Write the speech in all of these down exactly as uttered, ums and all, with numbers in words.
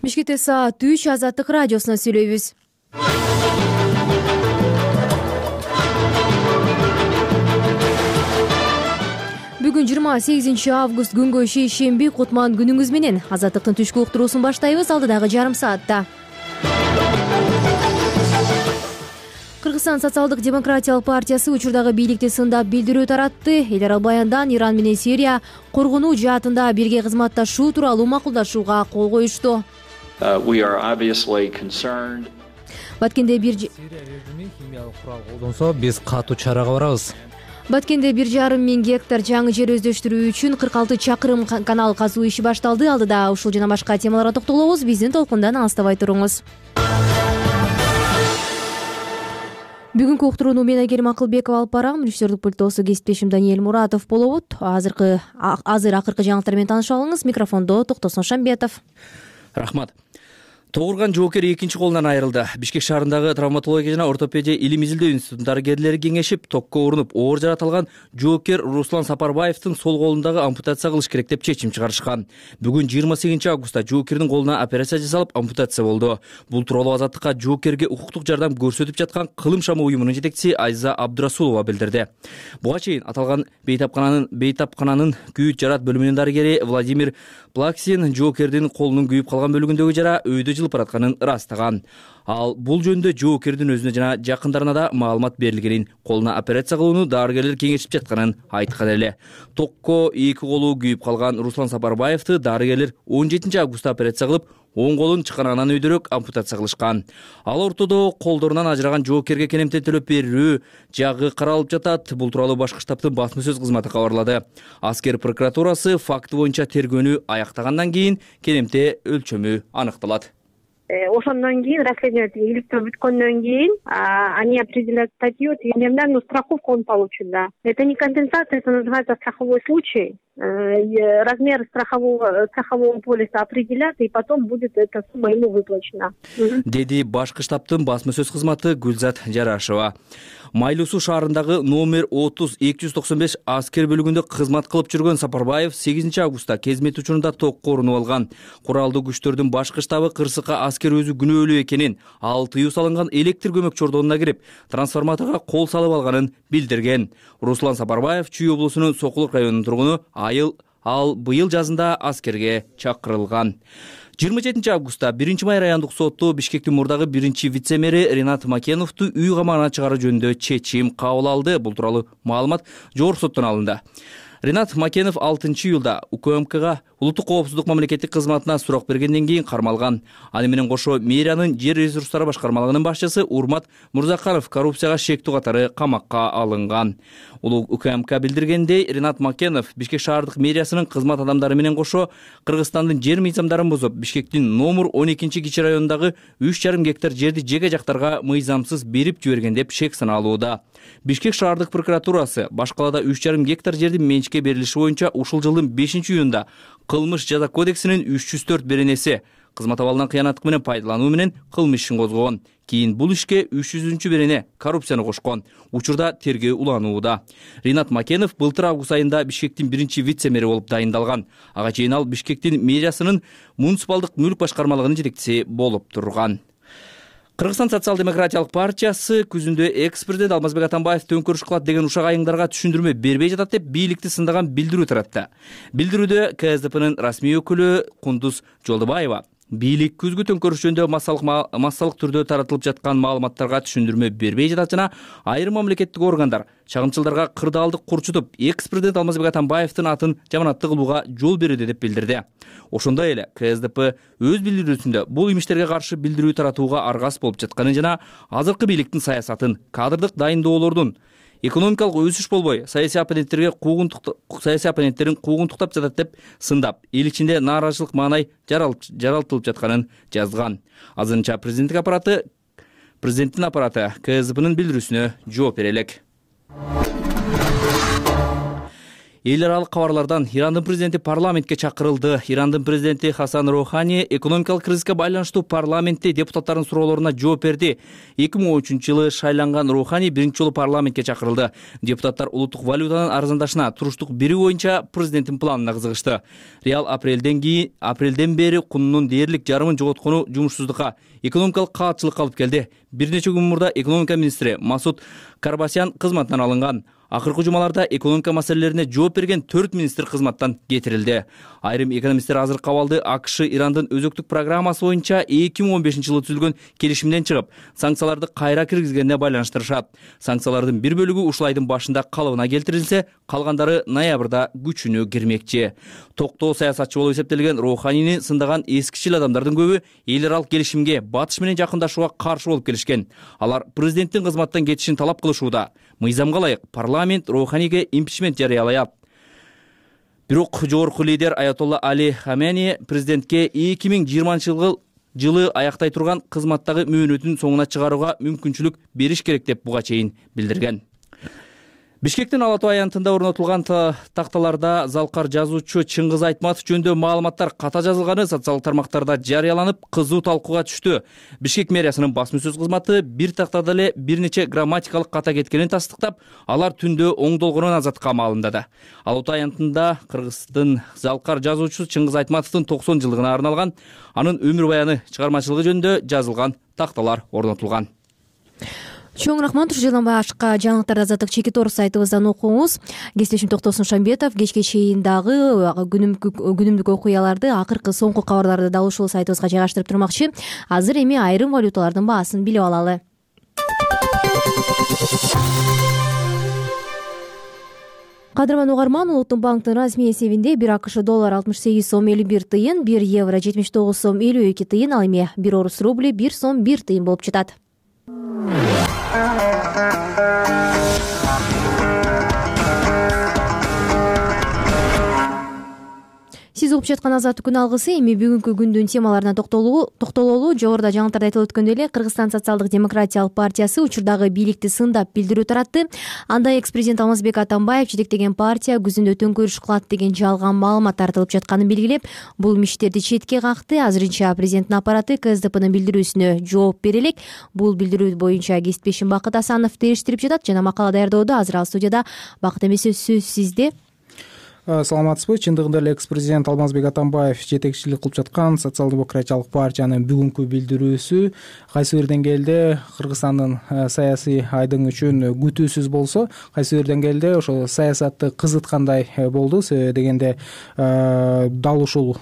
Бишкекте саат үч Азаттык радиосуна сүйлөйбүз. Бүгүн жыйырма сегизинчи август күнгө шейшемби, кутман күнүңүз менен. Азаттыктын түшкү уктуруусун баштайбыз, алдыдагы жарым саатта. Кыргызстан социалдык-демократиялык партиясы учурдагы бийликти сындап билдирүү таратты. Эл аралык баяндан Иран менен Сирия коргонуу жаатында бирге кызматташуу тууралуу макулдашууга кол коюшту. Баткенде бир Сирия режими химиялык курал колдонсо, биз катуу чарага барабыз. Баткенде бир жарым миң гектар жаңы жер өздөштүрүү үчүн кырк алты чакырым канал казуу иши башталды. Алдыда ушул жана башка темаларга токтолобуз. Биздин толкундан алыстабай туруңуз. Бүгүнкү уктурууну мен Айгерим Акылбекова алып барам. Мүнүштөрдүк пультосу кесиптешим Даниэль Муратов болобут. Азыркы азыр акыркы жаңылыктар менен таанышып алыңыз. Микрофондо Токтосун Шамбетов. Рахмат. Тогурган жоокер экинчи колунан айрылды. Бишкек шаарындагы травматология жана ортопедия илим изилдөө институтунун дарыгерлери кеңешип, токко урунуп оор жарат алган жоокер Руслан Сапарбаевдин сол колундагы ампутация кылыш керек деп чечим чыгарышкан. Бүгүн жыйырма сегизинчи августта жоокердин колуна операция жасалып, ампутация болду. Бул тууралуу Азаттыкка жоокерге укуктук жардам көрсөтүп жаткан Кылым шамы уюмунун жетекчиси Айза Абдурасулова билдирди. Буга чейин аталган бейтапкананын бейтапкананын күйүт жарат бөлүмүнүн дарыгери Владимир Плаксин жоокердин колунун күйүп калган бөлүгүндөгү жара өйдө жылып баратканын ырастаган. Ал бул жөнүндө жоокердин өзүнө жана жакындарына да маалымат берилгенин, колуна операция кылууну дарыгерлер кеңешип жатканын айткан эле. Токко эки колу күйүп калган Руслан Сапарбаевди дарыгерлер он жетинчи августта операция кылып, оң колун чыканагынан өйдөрөөк ампутация кылышкан. Ал ортодо колдорунан ажыраган жоокерге кенемтен төлөп берүү жагы каралып жатат. Бул тууралуу башкы штабтын басма сөз кызматы кабарлады. Аскер прокуратурасы факты боюнча тергөөнү аяктагандан кийин кенемте өлчөмү аныкталат. Ошондон кийин расследование иликтөө бүткөндөн кийин они определяют статью ежедневную страховку он получит, да. Это не компенсация, это называется страховой случай. Размер страхового страхового полиса определят, и потом будет эта сумма ему выплачена. Деди башкы штабтын басма сөз кызматы Гүлзат Жарашева. Майлуу Суу шаарындагы номер отуз эки жүз токсон беш аскер бөлүгүндө кызмат кылып жүргөн Сапарбаев сегизинчи августта кезмет учурунда токко урунуп алган. Куралдуу күчтөрдүн башкы штабы кырсыкка аскер өзү күнөөлүү экенин, ал тыюу салынган электр көмөк чордонуна кирип, трансформаторго кол салып алганын билдирген. Руслан Сапарбаев Чүй облусунун Сокулук районунун тургуну. Айыл ал быйыл жазында аскерге чакырылган. жыйырма жетинчи августта биринчи май райондук соту Бишкектин мурдагы биринчи вице-мэри Ринат Макеновду үй камагына чыгаруу жөнүндө чечим кабыл алды. Бул тууралуу маалымат жогорку соттон алынды. Ринат Макенов алтынчы июлда УКМКга улуттук коопсуздук мамлекеттик кызматына сурак бергенден кийин кармалган. Аны менен кошо мэриянын жер ресурстары башкармалыгынын башчысы Урмат Мурзаканов коррупцияга шектүү катары камакка алынган. Улуу УКМК билдиргендей, Ринат Макенов Бишкек шаардык мэриясынын кызмат адамдары менен кошо Кыргызстандын жер мыйзамдарын бузуп, Бишкектин номер он экинчи кичи районундагы үч жарым гектар жерди жеке жактарга мыйзамсыз берип жиберген деп шек саналууда. Бишкек шаардык прокуратурасы башкалада үч жарым гектар жердин менчикке берилиши боюнча ушул жылдын бешинчи июнунда кылмыш жаза кодексинин үч жүз төрт беренеси кызмат абалынан кыянаттык менен пайдалануу менен кылмыш ишин козгогон. Кийин бул ишке үч жүзүнчү берене коррупцияны кошкон. Учурда тергөө уланууда. Ринат Макенов былтыр август айында Бишкектин биринчи вице-мэри болуп дайындалган. Ага чейин ал Бишкектин мэриясынын муниципалдык мүлк башкармалыгынын жетекчиси болуп турган. Кыргызстан социал-демократиялык партиясы күзүндө экс-президент Алмазбек Атамбаев төңкөрүш кылат деген ушак айыңдарга түшүндүрмө бербей жатат деп бийликти сындаган билдирүү таратты. Билдирүүдө КСДПнын расмий өкүлү Кундуз Жолдубаева бийлик күзгү төңкөрүш жөнүндө массалык массалык түрдө таратылып жаткан маалыматтарга түшүндүрмө бербей жатат жана айрым мамлекеттик органдар чагымчылдарга кырдаалдык курчутуп, экс-президент Алмазбек Атамбаевдин атын жаманаттуу кылууга жол берүүдө деп билдирди. Ошондой эле КСДП өз билдирүүсүндө бул имиштерге каршы билдирүү таратууга аргас болуп жатканын жана азыркы бийликтин саясатын, кадрдык дайындоолордун экономикалык өсүш болбой, саясий оппоненттерге саясий оппоненттерин куугунтуктап жатат деп сындап, эл ичинде нааразычылык маанай жаралтылып жатканын жазган. Азырынча президенттик аппараты президенттин аппараты КСДПнын билдирүүсүнө жооп бере элек. Эл аралык кабарлардан Ирандын президенти парламентке чакырылды. Ирандын президенти Хасан Роухани экономикалык кризиске байланыштуу парламентте депутаттардын суроолоруна жооп берди. эки миң он үчүнчү жылы шайланган Роухани биринчи жолу парламентке чакырылды. Депутаттар улуттук валютанын арзандашына туруштук берүү боюнча президенттин планына кызыгышты. Реал апрелден кийин апрелден бери кунунун дээрлик жарымын жоготкону жумушсуздукка, экономикалык каатчылыкка алып келди. Бир нече күн мурда экономика министри Масуд Карбасян кызматынан алынган. Акыркы жумаларда экономика маселелерине жооп берген төрт министр кызматтан кетирилди. Айрым экономисттер азыркы абалды АКШ Ирандын өзөктүк программасы боюнча эки миң он бешинчи жылы түзүлгөн келишимден чыгып, санкцияларды кайра киргизгенине байланыштырышат. Санкциялардын бир бөлүгү ушул айдын башында калыбына келтирилсе, калгандары ноябрда күчүнө кирмекчи. Токтоо саясатчы болуп эсептелген Роуханини сындаган эскичил адамдардын көбү эл аралык келишимге батыш менен жакындашууга каршы болуп келишкен. Алар президенттин кызматтан кетишин талап кылышууда. Мыйзамга ылайык парламент Роуханиге импичмент жарыялаят. Бирок жогорку лидер Аятолла Али Хамени президентке эки миң жыйырманчы жылы аяктай турган кызматтагы мөөнөтүн соңуна чыгарууга мүмкүнчүлүк бериш керек деп буга чейин билдирген. Бишкектин Ала Тоо аянтында орнотулган такталарда залкар жазуучу Чыңгыз Айтматов жөнүндө маалыматтар ката жазылганы социалдык тармактарда жарыяланып, кызуу талкууга түштү. Бишкек мэриясынын басма сөз кызматы бир тактада эле бир нече грамматикалык ката кеткенин тастыктап, алар түндө оңдолгонун азаттыкка маалымдады. Ала Тоо аянтында Кыргыздын залкар жазуучусу Чыңгыз Айтматовдун токсон жылдыгына арналган анын өмүр баяны чыгармачылыгы жөнүндө жазылган такталар орнотулган. Чоң рахмат. Ушундан башка жаңылыктарды Азаттык Чекитор сайтыбыздан окуңуз. Кесиптешим Токтосун Шамбетов кечке чейин дагы күнүмдүк окуяларды, акыркы соңку кабарларды дал ушул сайтыбызга жайгаштырып турмакчы. Азыр эми айрым валюталардын баасын билип алалы. Кадырман угарман, Улуттук банктын расмий эсебинде бир АКШ доллар алтымыш сегиз сом элүү бир тыйын, бир евро жетимиш тогуз сом элүү эки тыйын, ал эми бир орус рубли бир сом бир тыйын болуп жатат. Сиз угуп жаткан Азаттык күн алгысы. Эми бүгүнкү күндүн темаларына токтололу. Жогоруда жаңылыктарда айтылып өткөндөй эле Кыргызстан социалдык демократиялык партиясы учурдагы бийликти сындап билдирүү таратты. Анда экс-президент Алмазбек Атамбаев жетектеген партия күзүндө төңкөрүш кылат деген жалган маалымат тартылып жатканын белгилеп, бул миштерди четке какты. Азырынча президенттин аппараты КСДПнын билдирүүсүнө жооп бере элек. Бул билдирүү боюнча кесиптешим Бакыт Асанов териштирип жатат жана макала даярдоодо азыр ал студияда. Бакыт эмесе, сөз сизде. Саламатсызбы? Чындыгында эле экс-президент Алмазбек Атамбаев жетекчилик кылып жаткан социал-демократиялык партиянын бүгүнкү билдирүүсү кайсы бир деңгээлде Кыргызстандын саясий айдың үчүн күтүүсүз болсо, кайсы бир деңгээлде ошо саясатты кызыткандай болду. Себеби дегенде дал ушул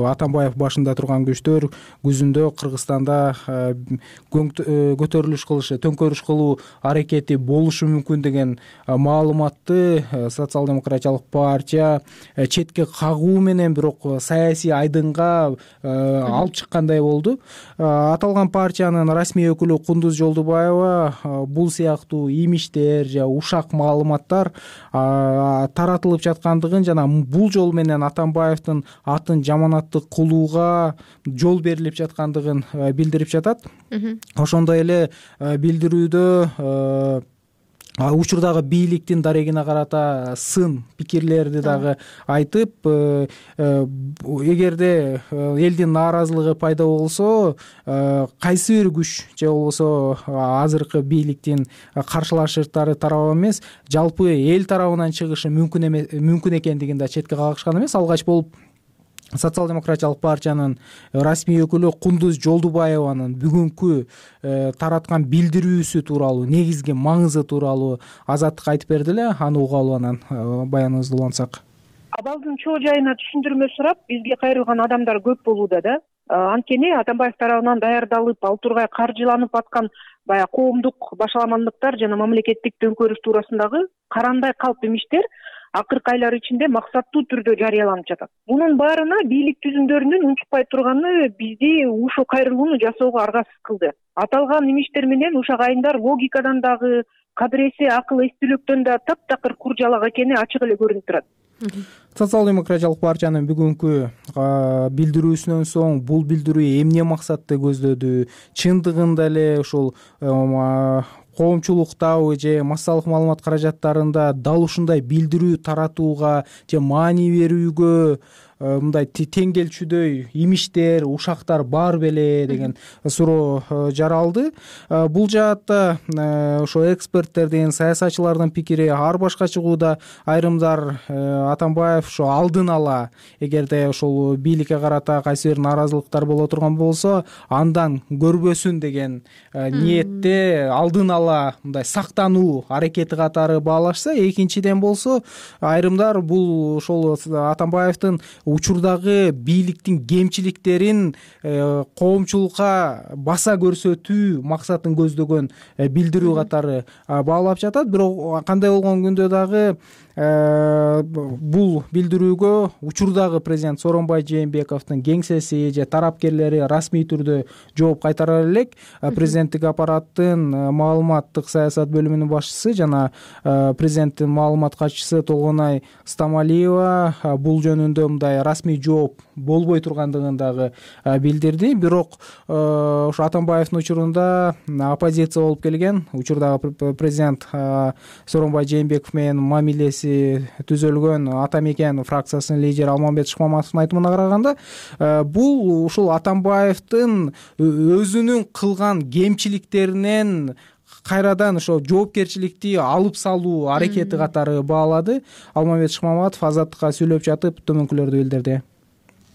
Атамбаев башында турган күчтөр күзүндө Кыргызстанда көтөрүлүш кылышы, төңкөрүш кылуу аракети болушу мүмкүн деген маалыматты социал-демократиялык партия четке кагуу менен бирок саясий айдынга алып чыккандай болду. Аталган партиянын расмий өкүлү Кундуз Жолдубаева бул сыяктуу имиштер же ушак маалыматтар таратылып жаткандыгын жана бул жол менен Атамбаевдин атын жаманаттык кылууга жол берилип жаткандыгын билдирип жатат. Ошондой эле билдирүүдө учурдагы бийликтин дарегине карата сын пикирлерди дагы айтып, эгерде элдин нааразылыгы пайда болсо, кайсы бир күч же болбосо азыркы бийликтин каршылашыштары тарабы эмес, жалпы эл тарабынан чыгышы мүмкүн эмес, мүмкүн экендигин да четке кагышкан эмес. Алгач болуп социал-демократиялык партиянын расмий өкүлү Кундуз Жолдубаеванын бүгүнкү тараткан билдирүүсү тууралуу, негизги маңызы тууралуу Азаттык айтып берди эле. Аны угалы, анан баяныбызды улантсак. Абалдын чоо жайына түшүндүрмө сурап, бизге кайрылган адамдар көп болууда да. Анткени Атамбаев тарабынан даярдалып, ал тургай каржыланып аткан баягы коомдук башаламандыктар жана мамлекеттик төңкөрүш туурасындагы карандай калп имиштер акыркы айлар ичинде максаттуу түрдө жарыяланып жатат. Мунун баарына бийлик түзүмдөрүнүн унчукпай турганы бизди ушул кайрылууну жасоого аргасыз кылды. Аталган имиштер менен ушак айымдар логикадан дагы, кадыресе акыл эстүүлүктөн да таптакыр куржалак экени ачык эле көрүнүп турат. Социал-демократиялык партиянын бүгүнкү билдирүүсүнөн соң бул билдирүү эмне максатты көздөдү? Чындыгында эле ушул коомчулуктабы же массалык маалымат каражаттарында дал ушундай билдирүү таратууга же маани берүүгө мындай тең келчүдөй имиштер, ушактар бар беле деген суроо жаралды. Бул жаатта ошо эксперттердин, саясатчылардын пикири ар башка чыгууда. Айрымдар Атамбаев ошо алдын ала эгерде ошол бийликке карата кайсы бир нааразылыктар боло турган болсо, андан көрбөсүн деген ниетте алдын ала мындай сактануу аракети катары баалашса, экинчиден болсо айрымдар бул ошол Атамбаевдин учурдагы бийликтин кемчиликтерин коомчулукка баса көрсөтүү максатын көздөгөн билдирүү катары баалап жатат. Бирок кандай болгон күндө дагы бул билдирүүгө учурдагы президент Сооронбай Жээнбековдун кеңсеси же тарапкерлери расмий түрдө жооп кайтара элек. Президенттик аппараттын маалыматтык саясат бөлүмүнүн башчысы жана президенттин маалымат катчысы Толгонай Стамалиева бул жөнүндө мындай расмий жооп болбой тургандыгын дагы билдирди. Бирок ошо Атамбаевдин учурунда оппозиция болуп келген, учурдагы президент Сооронбай Жээнбеков менен мамилеси түзөлгөн Ата Мекен фракциясынын лидери Алмамбет Шыкмаматовдун айтымына караганда, бул ушул Атамбаевдин өзүнүн кылган кемчиликтеринен кайрадан ошо жоопкерчиликти алып салуу аракети катары баалады. Алмамбет Шыкмаматов Азаттыкка сүйлөп жатып төмөнкүлөрдү билдирди.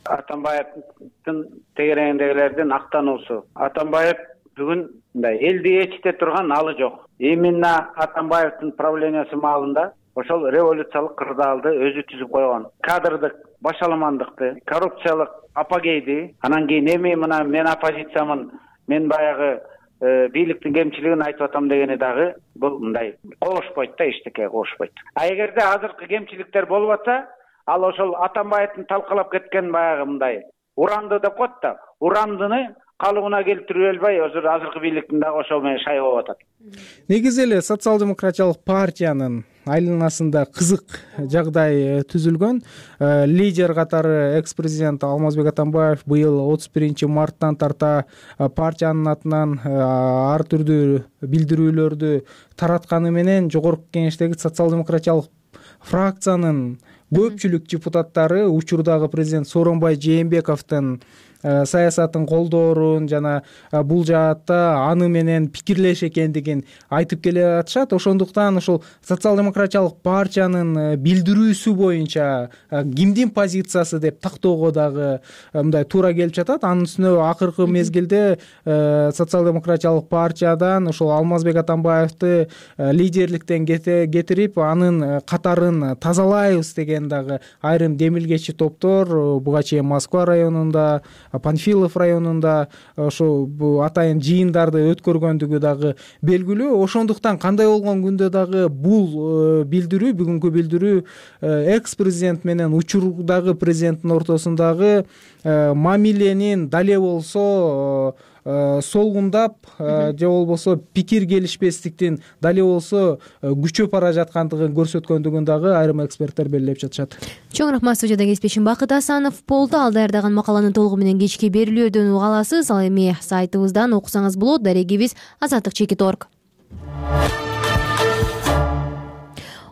Атамбаевдин тегерегиндегилердин актануусу. Атамбаев бүгүн мындай элди ээрчите турган алы жок. Именно Атамбаевдин правлениясы маалында ошол революциялык кырдаалды өзү түзүп койгон. Кадрдык башаламандыкты, коррупциялык апогейди, анан кийин эми мына мен оппозициямын, мен баягы бийликтин кемчилигин айтып атам дегени дагы бул мындай кошпойт да, эчтеке кошпойт. А эгерде азыркы кемчиликтер болуп атса, ал ошол Атамбаевдин талкалап кеткен баягы мындай уранды деп коет да, урандыны калыбына келтирип албай, азыр азыркы бийликтин дагы ошол менен шай болуп атат. Негизи эле социал-демократиялык партиянын айланасында кызык жагдай түзүлгөн. Лидер катары экс-президент Алмазбек Атамбаев быйыл отуз биринчи марттан тарта партиянын атынан ар түрдүү билдирүүлөрдү таратканы менен жогорку кеңештеги социал-демократиялык фракциянын көпчүлүк депутаттары учурдагы президент Сооронбай Жээнбековдун саясатын колдоорун жана бул жаатта аны менен пикирлеш экендигин айтып келе жатышат. Ошондуктан ошол социал-демократиялык партиянын билдирүүсү боюнча кимдин позициясы деп тактоого дагы мындай туура келип жатат. Анын үстүнө акыркы мезгилде социал-демократиялык партиядан ошол Алмазбек Атамбаевди лидерликтен кетирип, анын катарын тазалайбыз деген дагы айрым демилгечи топтор буга чейин Москва районунда, Панфилов районунда ошо атайын жыйындарды өткөргөндүгү дагы белгилүү. Ошондуктан кандай болгон күндө дагы бул билдирүү, бүгүнкү билдирүү экс-президент менен учурдагы президенттин ортосундагы мамиленин дале болсо солгундап же болбосо пикир келишпестиктин дале болсо күчөп бара жаткандыгын көрсөткөндүгүн дагы айрым эксперттер белгилеп жатышат. Чоң рахмат. Студияда кесипчим Бакыт Асанов болду. Ал даярдаган макаланын толугу менен кечки берүүлөрдөн уга аласыз. Ал эми сайтыбыздан окусаңыз болот. Дарегибиз азаттык чекит точка орг.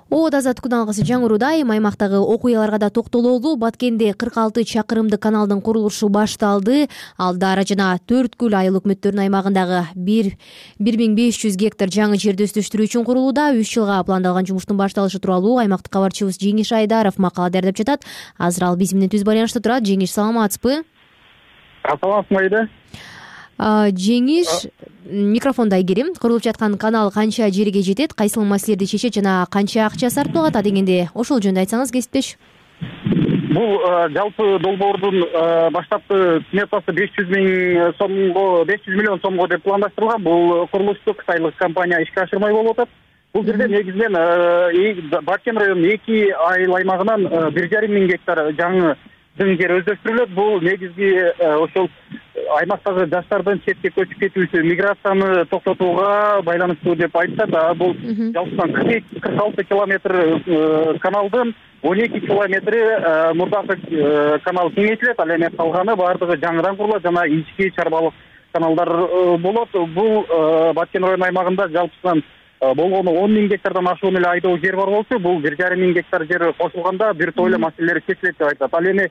Од азаттык алгысы жаңыруда айым аймактагы окуяларга да токтололу. Баткенде кырк алты чакырымдык каналдын курулушу башталды. Ал Дара жана Төрткүл айыл өкмөттөрүнүн аймагындагы бир миң беш жүз гектар жаңы жерди өстөштүрүү үчүн курулууда. үч жылга пландалган жумуштун башталышы тууралуу аймактык кабарчыбыз Жеңиш Айдаров макала даярдап жатат. Азыр ал биз менен түз байланышта турат. Жеңиш, саламатсызбы? Саламатсызбы айда. Жеңиш, микрофонду айгерим. Курулуп жаткан канал канча жерге жетет, кайсыл маселелерди чечет жана канча акча сарпталып атат дегенде ошол жөнүндө айтсаңыз кесиптеш. Бул жалпы долбоордун баштапкы сметасы беш жүз миң сомго, беш жүз миллион сомго деп пландаштырылган. Бул курулушту кытайлык компания ишке ашырмай болуп атат. Бул жерде негизинен Баткен районунун эки айыл аймагынан бир жарым миң гектар жаңы дың жер өздөштүрүлөт. Бул негизги ошол аймактагы жаштардын четке көчүп кетүүсү, миграцияны токтотууга байланыштуу деп айтышат. Бул жалпысынан кырк алты километр каналдын он эки километри мурдакы канал кеңейтилет, ал эми калганы баардыгы жаңыдан курулат жана ички чарбалык каналдар болот. Бул Баткен район аймагында жалпысынан болгону он миң гектардан ашуун эле айдоо жер бар болчу. Бул бир жарым миң гектар жер кошулганда бир топ эле маселелер чечилет деп айтат. Ал эми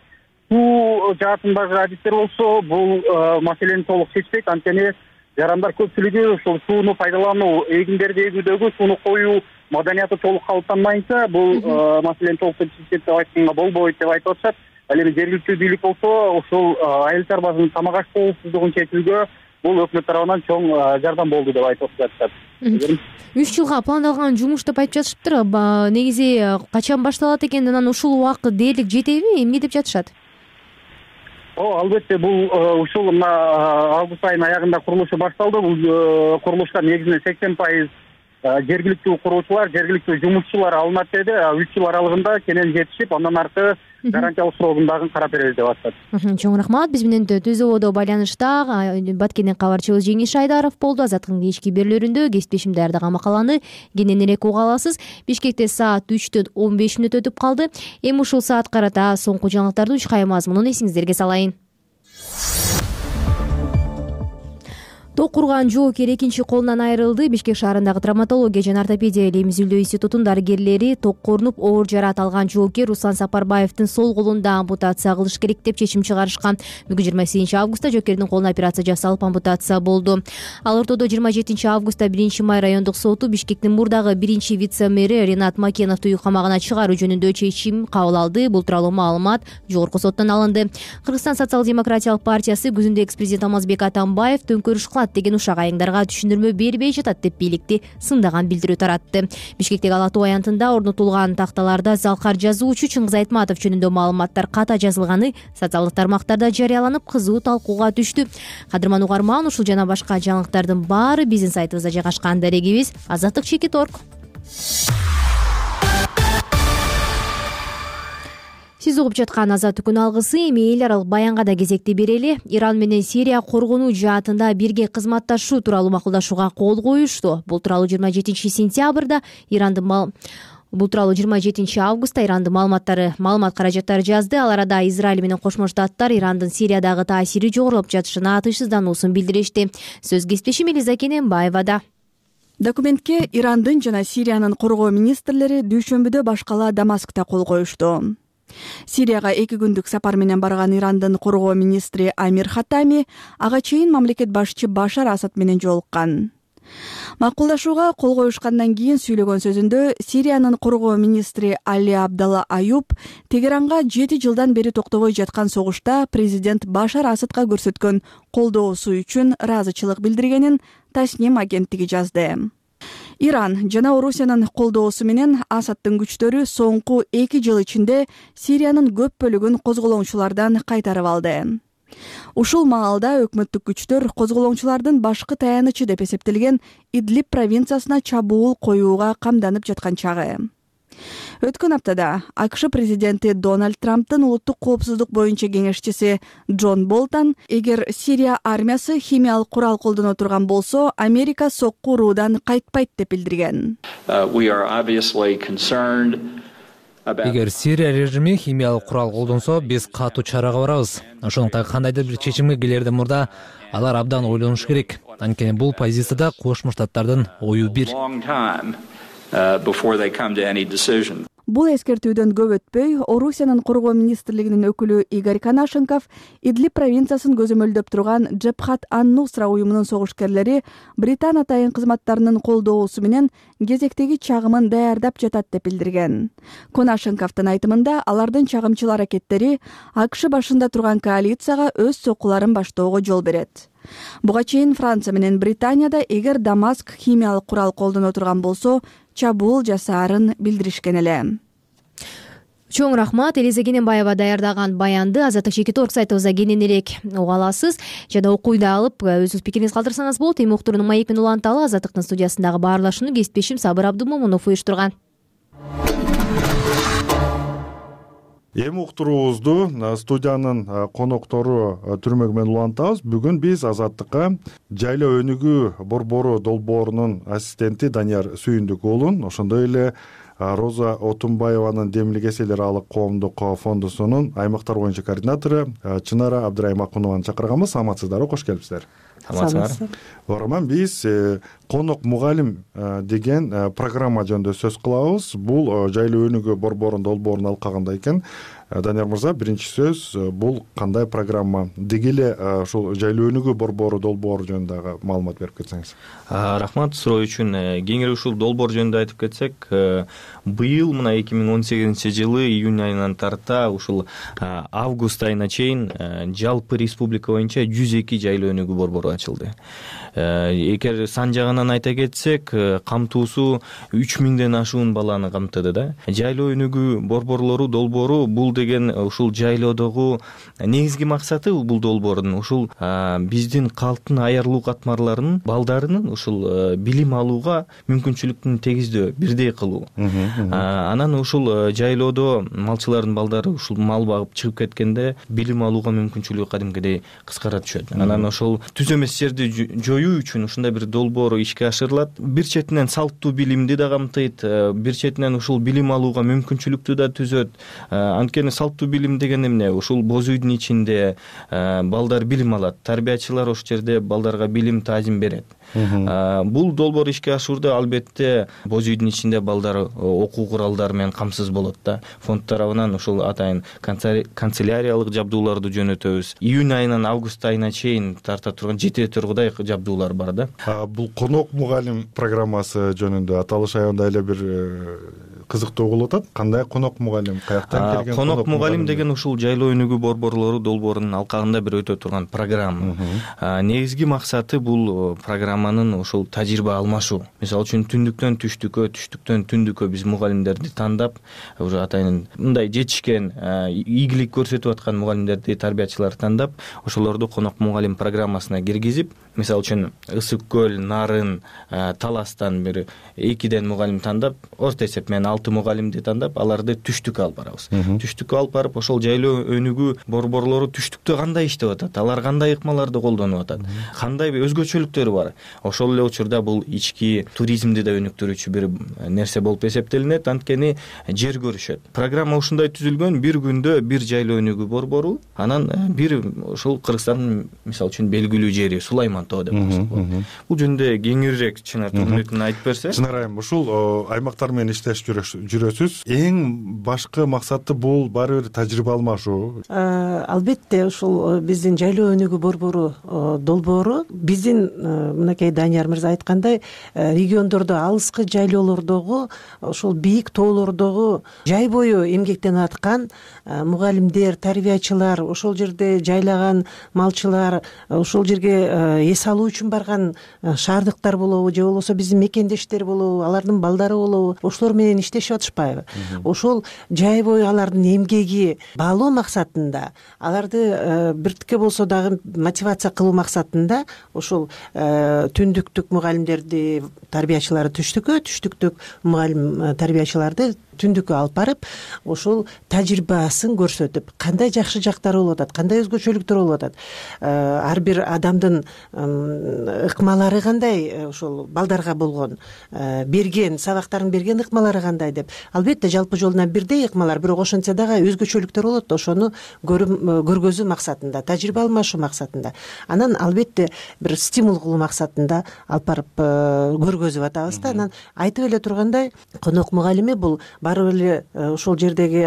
суу жаатындагы адистер болсо бул маселени толук чечпейт. Анткени жарандар көпчүлүгү ушул сууну пайдалануу, эгиндерди эгүүдөгү сууну коюу маданияты толук калыптанмайынча бул маселени толук чечет деп айтканга болбойт деп айтып атышат. Ал эми жергиликтүү бийлик болсо ушул айыл чарбасынын тамак аш коопсуздугун чечүүгө бул өкмөт тарабынан чоң жардам болду деп айтып жатышат. үч жылга пландалган жумуш деп айтып жатышыптыр. Негизи качан башталат экен, анан ушул убакыт дээрлик жетеби, эмне деп жатышат? О, албетте, бул ушул мына август айынын аягында курулушу башталды. Бул курулушка негизинен сексен пайыз жергиликтүү куруучулар, жергиликтүү жумушчулар алынат деди. үч жыл аралыгында кенен жетишип, андан аркы гарантиялык срогун дагы карап беребиз деп атышат. Чоң рахмат. Биз менен Түзөбодо байланышта Баткенден кабарчыбыз Жеңиш Айдаров болду. Азаттыктын кечки берүүлөрүндө кесиптешим даярдаган макаланы кененирээк уга аласыз. Бишкекте саат үчтөн он беш мүнөт өтүп калды. Эми ушул саат карата соңку жаңылыктарды үч кайы мазмунун эсиңиздерге салайын. Ток курган жоокер экинчи колунан айрылды. Бишкек шаарындагы травматология жана ортопедия эмзилдөө институтунун дарыгерлери ток корунуп оор жараат алган жоокер Руслан Сапарбаевдин сол колунда ампутация кылыш керек деп чечим чыгарышкан. Бүгүн жыйырма сегизинчи августта жоокердин колуна операция жасалып ампутация болду. Ал ортодо жыйырма жетинчи августта биринчи май райондук соту Бишкектин мурдагы биринчи вице-мэри Ринат Макеновду үй камагына чыгаруу жөнүндө чечим кабыл алды. Бул тууралуу маалымат жогорку соттон алынды. Кыргызстан социал-демократиялык партиясы күзүндө экс-президент Алмазбек Атамбаев төңкөрүш кылат деген ушак айыңдарга түшүндүрмө бербей жатат деп бийликти сындаган билдирүү таратты. Бишкектеги Ала Тоо аянтында орнотулган такталарда залкар жазуучу Чыңгыз Айтматов жөнүндө маалыматтар ката жазылганы социалдык тармактарда жарыяланып, кызуу талкууга түштү. Кадырман угарман, ушул жана башка жаңылыктардын баары биздин сайтыбызда жайгашкан. Дарегибиз азаттык чекит точка орг. Сиз угуп жаткан Азаттык күн алгысы. Эми эл аралык баянга да кезекти берели. Иран менен Сирия коргонуу жаатында бирге кызматташуу тууралуу макулдашууга кол коюшту. Бул тууралуу жыйырма жетинчи сентябрда Ирандын мал Бул тууралуу жыйырма жетинчи августта Ирандын маалыматтары, маалымат каражаттары жазды. Ал арада Израиль менен Кошмо Штаттар Ирандын Сириядагы таасири жогорулуп жатышына тынчсыздануусун билдиришти. Сөз кесиптешим Элиза Кененбаевада. Документке Ирандын жана Сириянын коргоо министрлери дүйшөмбүдө башкала Дамаскта кол коюшту. Сирияга эки күндүк сапар менен барган Ирандын коргоо министри Амир Хатами ага чейин мамлекет башчы Башар Асад менен жолуккан. Макулдашууга кол коюшкандан кийин сүйлөгөн сөзүндө Сириянын коргоо министри Али Абдалла Аюб Тегеранга жети жылдан бери токтобой жаткан согушта президент Башар Асадка көрсөткөн колдоосу үчүн ыраазычылык билдиргенин Тасним агенттиги жазды. Иран жана Орусиянын колдоосу менен Асадтын күчтөрү соңку эки жыл ичинде Сириянын көп бөлүгүн козголоңчулардан кайтарып алды. Ушул маалда өкмөттүк күчтөр козголоңчулардын башкы таянычы деп эсептелген Идлиб провинциясына чабуул коюуга камданып жаткан чагы. Өткөн аптада АКШ президенти Дональд Трамптын улуттук коопсуздук боюнча кеңешчиси Джон Болтон эгер Сирия армиясы химиялык курал колдоно турган болсо, Америка сокку уруудан кайтпайт деп билдирген. Эгер Сирия режими химиялык курал колдонсо, биз катуу чарага барабыз. Ошондуктан кандайдыр бир чечимге келерден мурда алар абдан ойлонуш керек. Анткени бул позицияда Кошмо Штаттардын ою бир. Бул эскертүүдөн көп өтпөй, Орусиянын коргоо министрлигинин өкүлү Игорь Конашенков Идлиб провинциясын көзөмөлдөп турган Джебхат ан-Нусра уюмунун согушкерлери Британ атайын кызматтарынын колдоосу менен кезектеги чагымын даярдап жатат деп билдирген. Конашенковдун айтымында, алардын чагымчыл аракеттери АКШ башында турган коалицияга өз соккуларын баштоого жол берет. Буга чейин Франция менен Британияда эгер Дамаск химиялык курал колдоно турган болсо, чабуул жасаарын билдиришкен эле. Чоң рахмат. Элиза Кененбаева даярдаган баянды азаттык чекит точка орг сайтыбызда кененирээк уга аласыз жана окуйду алып өзүңүз пикириңизди калтырсаңыз болот. Эми уктурууну маек менен уланталы. Азаттыктын студиясындагы баарлашууну кесиптешим Сабыр Абдумомунов уюштурган. Эми уктуруубузду студиянын коноктору түрмөк менен улантабыз. Бүгүн биз Азаттыкка Жайлоо өнүгүү борбору долбоорунун ассистенти Данияр Сүйүндүк уулун, ошондой эле Роза Отунбаеванын демилик эселер алык коомдук фондусунун аймактар боюнча координатору Чынара Абдраймакунованы чакырганбыз. Саламатсыздарбы, кош келипсиздер. Саламатсыздар. Оораман, биз конок мугалим деген программа жөнүндө сөз кылабыз. Бул жайлоо өнүгүү борборунун долбоорун алкагында экен. Данияр мырза, биринчи сөз, бул кандай программа? Деги эле ушул жайлоо өнүгүү борбору долбоору жөнүндө маалымат берип кетсеңиз. Рахмат суроо үчүн. Кеңири ушул долбоор жөнүндө айтып кетсек, быйыл мына эки миң он сегизинчи жылы июнь айынан тарта ушул август айына чейин жалпы республика боюнча жүз эки жайлоо өнүгүү борбору ачылды. Эгер сан жагынан айта кетсек, камтуусу үч миңден ашуун баланы камтыды да. Жайлоо өнүгүү борборлору долбоору бул деген ушул жайлоодогу негизги максаты бул долбоордун ушул биздин калктын аярлуу катмарларынын балдарынын ушул билим алууга мүмкүнчүлүктүн тегиздөө, бирдей кылуу. Анан ушул жайлоодо малчылардын балдары ушул мал багып чыгып кеткенде билим алууга мүмкүнчүлүгү кадимкидей кыскара түшөт. Анан ошол түз эмес жерди жоюу үчүн ушундай бир долбоор ишке ашырылат. Бир четинен салттуу билимди да камтыйт, бир четинен ушул билим алууга мүмкүнчүлүктү да түзөт. Анткени салттуу билим деген эмне? Ушул боз үйдүн ичинде балдар билим алат. Тарбиячылар ошол жерде балдарга билим, таазим берет. Бул долбоор ишке ашуурда албетте боз үйдүн ичинде балдар окуу куралдары менен камсыз болот да. Фонд тарабынан ушул атайын канцеляриялык жабдууларды жөнөтөбүз. Июнь айынан август айына чейин тарта турган жете тургудай жабдуулар бар да. Бул конок мугалим программасы жөнүндө аталыш аябай эле бир кызыктуу болуп атат. Кандай конок мугалим, каяктан келген? Конок мугалим деген ушул жайлоо өнүгүү борборлору долбоорунун алкагында бир өтө турган программа. Негизги максаты бул программанын ушул тажрыйба алмашуу. Мисалы үчүн түндүктөн түштүккө, түштүктөн түндүккө биз мугалимдерди тандап, уже атайын мындай жетишкен, ийгилик көрсөтүп аткан мугалимдерди, тарбиячыларды тандап, ошолорду конок мугалим программасына киргизип, мисалы үчүн Ысык көл, Нарын, Таластан бир экиден мугалим тандап, орто эсеп менен алты мугалимди тандап, аларды түштүккө алып барабыз. Түштүккө алып барып, ошол жайлоо өнүгүү борборлору түштүктө кандай иштеп атат, алар кандай ыкмаларды колдонуп атат, кандай өзгөчөлүктөрү бар. Ошол эле учурда бул ички туризмди да өнүктүрүүчү бир нерсе болуп эсептелинет, анткени жер көрүшөт. Программа ушундай түзүлгөн, бир күндө бир жайлоо өнүгүү борбору, анан бир ушул Кыргызстандын мисалы үчүн белгилүү жери Сулайман тоо деп коет. Бул жөнүндө кеңирээк Чынар Тургунбековна айтып берсе. Чынар айым, ушул аймактар менен иштешип жүрөсүз. Эң башкы максаты бул баары бир тажрыйба алмашуу. Албетте ушул биздин жайлоо өнүгүү борбору долбоору биздин мынакей Данияр мырза айткандай региондордо, алыскы жайлоолордогу, ошол бийик тоолордогу жай бою эмгектенип аткан мугалимдер, тарбиячылар, ошол жерде жайлаган малчылар, ошол жерге эс алуу үчүн барган шаардыктар болобу, же болбосо биздин мекендештер болобу, алардын балдары болобу, ошолор менен иштешип атышпайбы? Ошол жай бою алардын эмгеги баалоо максатында, аларды биртикке болсо дагы мотивация кылуу максатында ошол түндүктүк мугалимдерди, тарбиячыларды түштүккө, түштүктүк мугалим тарбиячыларды түндүккө алып барып, ошол тажрыйбасын көрсөтүп, кандай жакшы жактары болуп атат, кандай өзгөчөлүктөр болуп атат, ар бир адамдын ыкмалары кандай, ошол балдарга болгон берген, сабактарын берген ыкмалары кандай деп. Албетте жалпы жолуна бирдей ыкмалар, бирок ошентсе дагы өзгөчөлүктөр болот, ошону көргөзүү максатында, тажрыйба алмашуу максатында. Анан албетте бир стимул кылуу максатында алып барып көргөзүп атабыз да. Анан айтып эле тургандай, конок мугалими бул баары эле ошол жердеги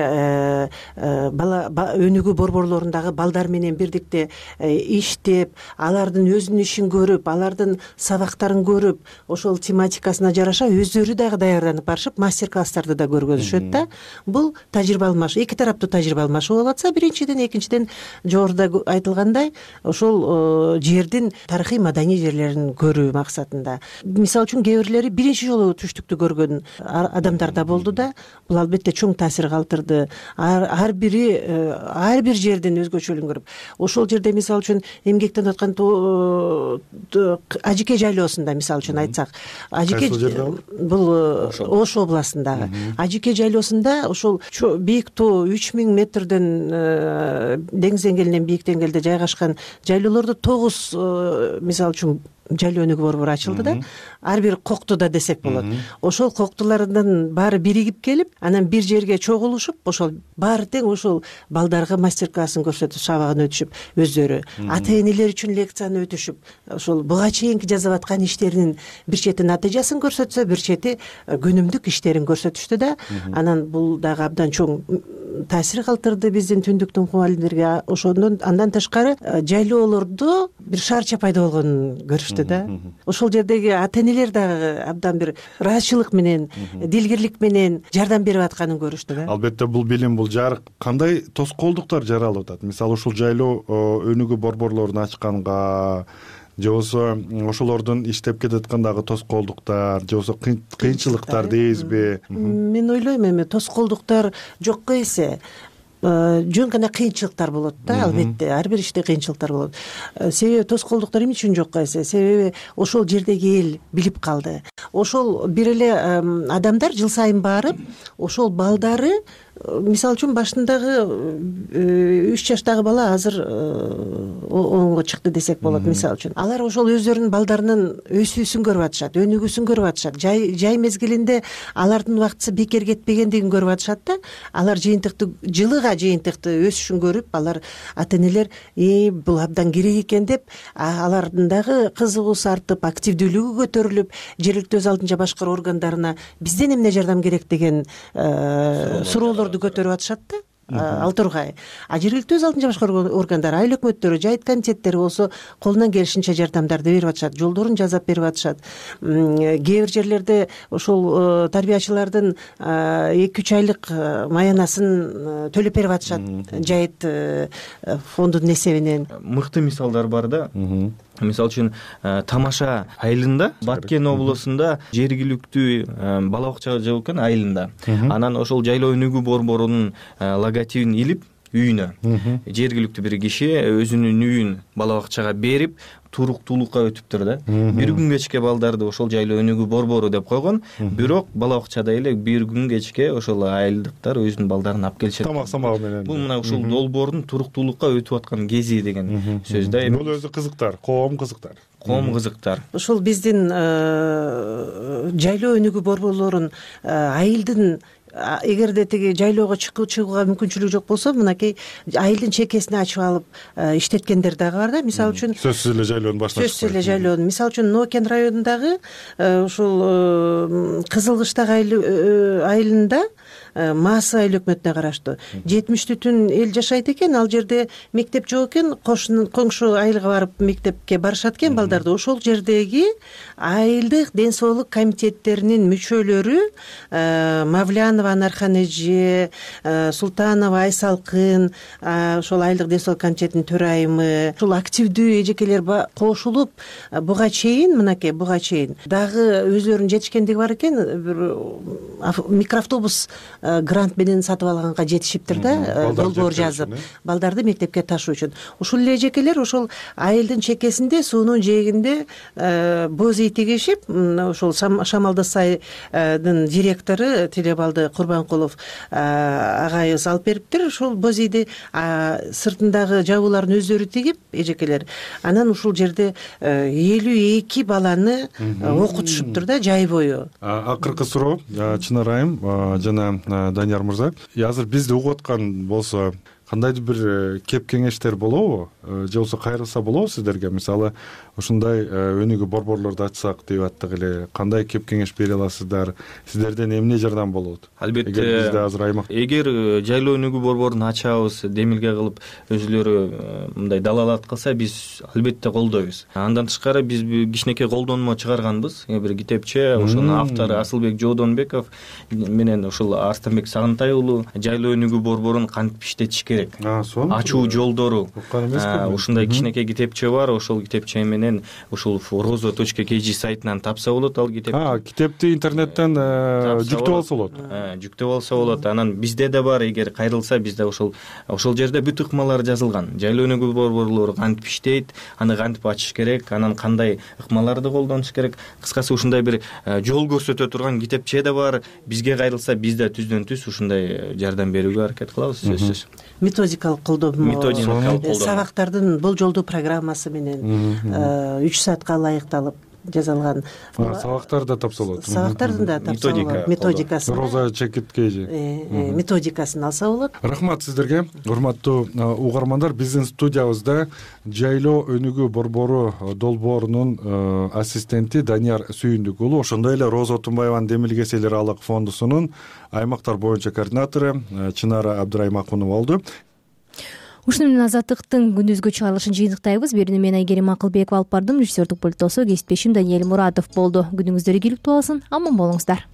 бала өнүгүү борборлорундагы балдар менен бирдикте иштеп, алардын өзүнүн ишин көрүп, алардын сабактарын көрүп, ошол тематикасына жараша өздөрү дагы даярданып барышып, мастер-класстарды да көргөзүшөт да. Бул тажрыйба алмашуу, эки тараптуу тажрыйба алмашуу болуп атса, биринчиден, экинчиден жогоруда айтылгандай, ошол жердин тарыхый маданий жерлерин көрүү максатында. Мисалы үчүн кээ бирлери биринчи жолу түштүктү көргөн адамдар да болду да. Бул албетте чоң таасир калтырды. Ар бири ар бир жердин өзгөчөлүгүн көрүп, ошол жерде мисалы үчүн эмгектенип аткан Ажике жайлоосунда мисалы үчүн айтсак, Ажике бул Ош областындагы Ажике жайлоосунда ошол бийик тоо үч миң метрден деңиз деңгээлинен бийик деңгээлде жайгашкан жайлоолордо тогуз мисалы үчүн жайлоо өнүгүү борбору ачылды да, ар бир коктуда десек болот. Ошол коктулардан баары биригип келип, анан бир жерге чогулушуп, ошол баары тең ошол балдарга мастер классын көрсөтүп, сабагын өтүшүп, өздөрү ата энелер үчүн лекцияны өтүшүп, ошол буга чейинки жасап аткан иштеринин бир чети натыйжасын көрсөтсө, бир чети күнүмдүк иштерин көрсөтүштү да. Анан бул дагы абдан чоң таасир калтырды биздин түндүктүн мугалимдерге. Ошондон андан тышкары жайлоолордо бир шаарча пайда болгонун көрүштү да. Ошол жердеги ата энелер дагы абдан бир ыраазычылык менен, дилгирлик менен жардам берип атканын көрүштү да. Албетте бул билим, бул жарык кандай тоскоолдуктар жаралып атат? Мисалы ушул жайлоо өнүгүү борборлорун ачканга же болбосо ошолордун иштеп кетаткандагы тоскоолдуктар же болбосо кыйынчылыктар дейбизби? Мен ойлойм эми тоскоолдуктар жокко эсе жөн гана кыйынчылыктар болот да, албетте ар бир иште кыйынчылыктар болот. Себеби тоскоолдуктар эмне үчүн жокко эсе? Себеби ошол жердеги эл билип калды. Ошол бир эле адамдар жыл сайын барып, ошол балдары, мисалы үчүн башындагы үч жаштагы бала азыр онго чыкты десек болот, мисалы үчүн. Алар ошол өздөрүнүн балдарынын өсүүсүн көрүп атышат, өнүгүүсүн көрүп атышат. Жай жай мезгилинде алардын убактысы бекер кетпегендигин көрүп атышат да. Алар жыйынтыкты, жылыга жыйынтыкты өсүшүн көрүп, алар ата энелер э бул абдан керек экен деп, алардын дагы кызыгуусу артып, активдүүлүгү көтөрүлүп, жергиликтүү өз алдынча башкаруу органдарына бизден эмне жардам керек деген суроолор көтөрүп атышат да. Ал тургай. А жергиликтүү өз алдынча башкаруу органдары, айыл өкмөттөрү, жайыт комитеттери болсо колунан келишинче жардамдарды берип атышат, жолдорун жасап берип атышат. Кээ бир жерлерде ошол тарбиячылардын эки үч айлык маянасын төлөп берип атышат, жайыт фондунун эсебинен. Мыкты мисалдар бар да. Мисалы үчүн Тамаша айылында, Баткен облусунда жергиликтүү бала бакча жок экен айылында. Анан ошол жайлоо өнүгүү борборунун логотипин илип үйүнө жергиликтүү бир киши өзүнүн үйүн бала бакчага берип туруктуулукка өтүптүр да. Бир күн кечке балдарды ошол жайлоо өнүгүү борбору деп койгон, бирок бала бакчада эле бир күн кечке ошол айылдыктар өзүнүн балдарын алып келишет. Тамак самагы менен. Бул мына ушул долбоордун туруктуулукка өтүп аткан кези деген сөз да. Бул өзү кызыктар, коом кызыктар. Коом кызыктар. Ушул биздин жайлоо өнүгүү борборлорун айылдын, эгерде тиги жайлоого чыгууга мүмкүнчүлүгү жок болсо, мынакей айылдын чекесине ачып алып иштеткендер дагы бар да. Мисалы үчүн сөзсүз эле жайлоонун башына чыкпайт. Сөзсүз эле жайлоонун. Мисалы үчүн Нокен районундагы ушул Кызылкыштак айылында, Маасы айыл өкмөтүнө караштуу жетимиш түтүн эл жашайт экен. Ал жерде мектеп жок экен, коңшу айылга барып мектепке барышат экен балдарды. Ошол жердеги айылдык ден соолук комитеттеринин мүчөлөрү Мавлянова Анархан эже, Султанова Айсалкын, ошол айылдык ден соолук комитетинин төрайымы, ушул активдүү эжекелер кошулуп, буга чейин, мынакей буга чейин дагы өзлөрүнүн жетишкендиги бар экен, бир микроавтобус грант менен сатып алганга жетишиптир да, долбоор жазып, балдарды мектепке ташуу үчүн. Ушул эле эжекелер ошол айылдын чекесинде, суунун жээгинде боз ий тигишип, ошол Шамалды сайдын директору Телебалды Курбанкулов агайыбыз алып бериптир. Ошол боз ийди сыртындагы жабууларын өздөрү тигип, эжекелер, анан ушул жерде элүү эки баланы окутушуптур да, жай бою. Акыркы суроо, Чынар айым жана Данияр мырза, азыр бизди угуп аткан болсо кандайдыр бир кеп кеңештер болобу, же болбосо кайрылса болобу сиздерге? Мисалы, ушундай өнүгүү борборлорду ачсак деп аттык эле, кандай кеп кеңеш бере аласыздар? Сиздерден эмне жардам болот? Албетте, эгер бизде азыр аймак, эгер жайлоо өнүгүү борборун ачабыз, демилге кылып өзүлөрү мындай далалат кылса, биз албетте колдойбуз. Андан тышкары биз кичинекей колдонмо чыгарганбыз. Бир китепче, ошонун автору Асылбек Жоодонбеков менен ушул Арстанбек Сагынтай уулу жайлоо өнүгүү борборун кантип иштетиш керек, ачуу жолдору, ушундай кичинекей китепче бар. Ошол китепче менен ушул розо точка кей жи сайтынан тапса болот. Ал китеп китепти интернеттен жүктөп алса болот. Жүктөп алса болот. Анан бизде да бар, эгер кайрылса, бизде ошол ошол жерде бүт ыкмалар жазылган. Жайлоо өнүгүү борборлору кантип иштейт, аны кантип ачыш керек, анан кандай ыкмаларды колдонуш керек. Кыскасы ушундай бир жол көрсөтө турган китепче да бар. Бизге кайрылса, биз да түздөн түз ушундай жардам берүүгө аракет кылабыз, сөзсүз. методикалык колдоо методикалык колдоо сабактардын болжолдуу программасы менен үч саатка ылайыкталып жасалган сабактар да тапсалат сабактардын да тапсалат методикасы роза чекиткеи методикасын алса болот. Рахмат сиздерге урматтуу угармандар. Биздин студиябызда жайлоо өнүгүү борбору долбоорунун ассистенти Данияр Сүйүндүк уулу, ошондой эле Роза Отунбаеванын Демилгес эл аралык фондусунун аймактар боюнча координатору Чынара Абдыраймакунова болду. Ушуну менен Азаттыктын күндүзгү чыгарылышын жыйынтыктайбыз. Берүүнү мен Айгерим Акылбекова алып бардым. Режиссердик пультосу кесиптешим Даниэль Муратов болду. Күнүңүздөр ийгиликтүү болсун. Аман болуңуздар.